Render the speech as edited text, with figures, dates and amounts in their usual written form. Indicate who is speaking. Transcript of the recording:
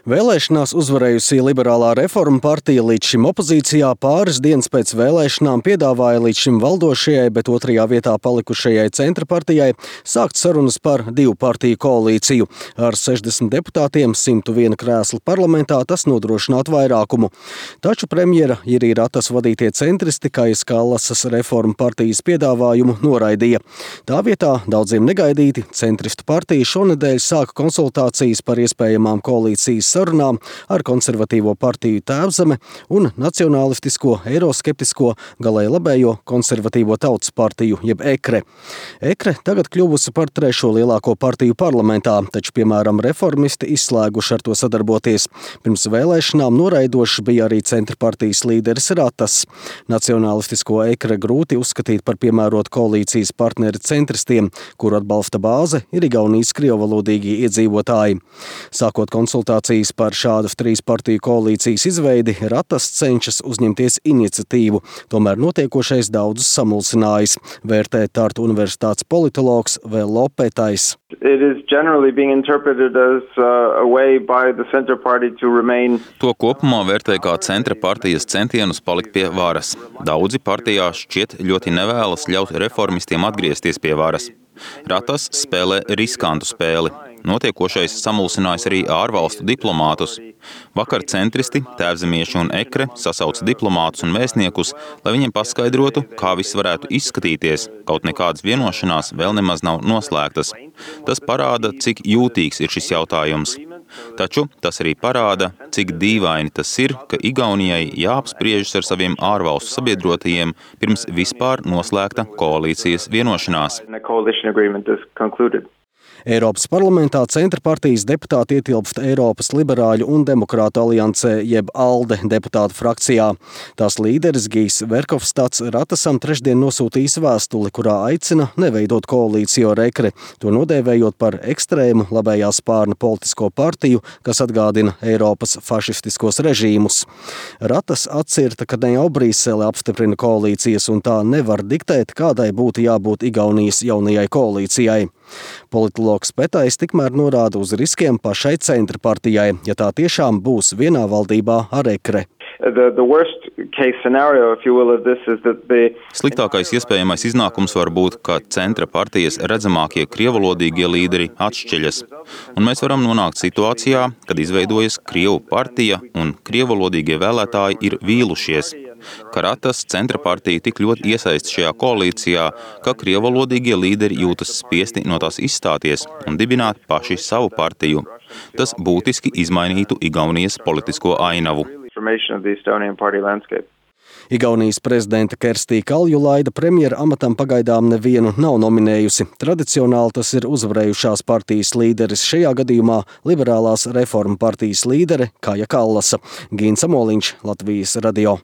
Speaker 1: Vēlēšanās uzvarējusi Liberālā reforma partija līdz šim opozīcijā pāris dienas pēc vēlēšanām piedāvāja līdz šim valdošajai, bet otrajā vietā palikušajai centra partijai sākt sarunas par divu partiju koalīciju. Ar 60 deputātiem 101 krēslu parlamentā tas nodrošinātu vairākumu. Taču premjera Jiri Ratas vadītie centristi Kajas Kallasas reforma partijas piedāvājumu noraidīja. Tā vietā daudziem negaidīti centristu partija šonedēļ sāka konsultācijas par iespējamām koalīcijas sarunām ar konservatīvo partiju Tēvzeme un nacionālistisko, eiroskeptisko, galēji labējo konservatīvo tautas partiju, jeb EKRE. EKRE tagad kļuvusi par trešo lielāko partiju parlamentā, taču, piemēram, reformisti izslēguši ar to sadarboties. Pirms vēlēšanām noraidošs bija arī centra partijas līderis Ratas. Nacionālistisko EKRE grūti uzskatīt par piemērotu koalīcijas partneri centristiem, kuru atbalsta bāze ir Igaunijas krievvalodīgie iedzīvotāji. Sākot konsultācijas par šādu trīs partiju koalīcijas izveidi, Ratas cenšas uzņemties iniciatīvu, tomēr notiekošais daudzus samulsinājis, vērtē Tartu universitātes politologs Vello Petais.
Speaker 2: To kopumā vērtē kā centra partijas centienus palikt pie varas. Daudzi partijā šķiet ļoti nevēlas ļaut reformistiem atgriezties pie varas. Ratas spēlē riskantu spēli. Notiekošais samulsinājis arī ārvalstu diplomātus. Vakar centristi, tēvzemieši un EKRE sasauca diplomātus un vēstniekus, lai viņiem paskaidrotu, kā viss varētu izskatīties, kaut nekādas vienošanās vēl nemaz nav noslēgtas. Tas parāda, cik jūtīgs ir šis jautājums. Taču tas arī parāda, cik dīvaini tas ir, ka Igaunijai jāapspriežas ar saviem ārvalstu sabiedrotajiem pirms vispār noslēgta koalīcijas vienošanās.
Speaker 1: Eiropas parlamentā centra partijas deputāti ietilpst Eiropas liberāļu un demokrātu aliansē, jeb ALDE deputātu frakcijā. Tās līderis Gijs Verhofstadts Ratasam trešdien nosūtījis vēstuli, kurā aicina neveidot koalīciju ar EKRE, to nodēvējot par ekstrēmu labējā spārna politisko partiju, kas atgādina Eiropas fašistiskos režīmus. Ratas atcirta, ka ne jau Brīsele apstiprina koalīcijas un tā nevar diktēt, kādai būtu jābūt Igaunijas jaunajai koalīcijai. Politologs Petais tikmēr norāda uz riskiem pašai centra partijai, ja tā tiešām būs vienā valdībā ar EKRE.
Speaker 2: Sliktākais iespējamais iznākums var būt, ka centra partijas redzamākie krievalodīgie līderi atšķiļas. Un mēs varam nonākt situācijā, kad izveidojas Krievu partija un krievalodīgie vēlētāji ir vīlušies. Ka Ratas centra partija tik ļoti iesaist šajā koalīcijā, ka krievalodīgie līderi jūtas spiesti no tās izstāties un dibināt paši savu partiju. Tas būtiski izmainītu Igaunijas politisko ainavu.
Speaker 1: Igaunijas prezidenta Kerstī Kaljulaida premjera amatam pagaidām nevienu nav nominējusi. Tradicionāli tas ir uzvarējušās partijas līderis, šajā gadījumā Liberālās reforma partijas līdere Kaja Kallasa. Gīns Amoliņš, Latvijas radio.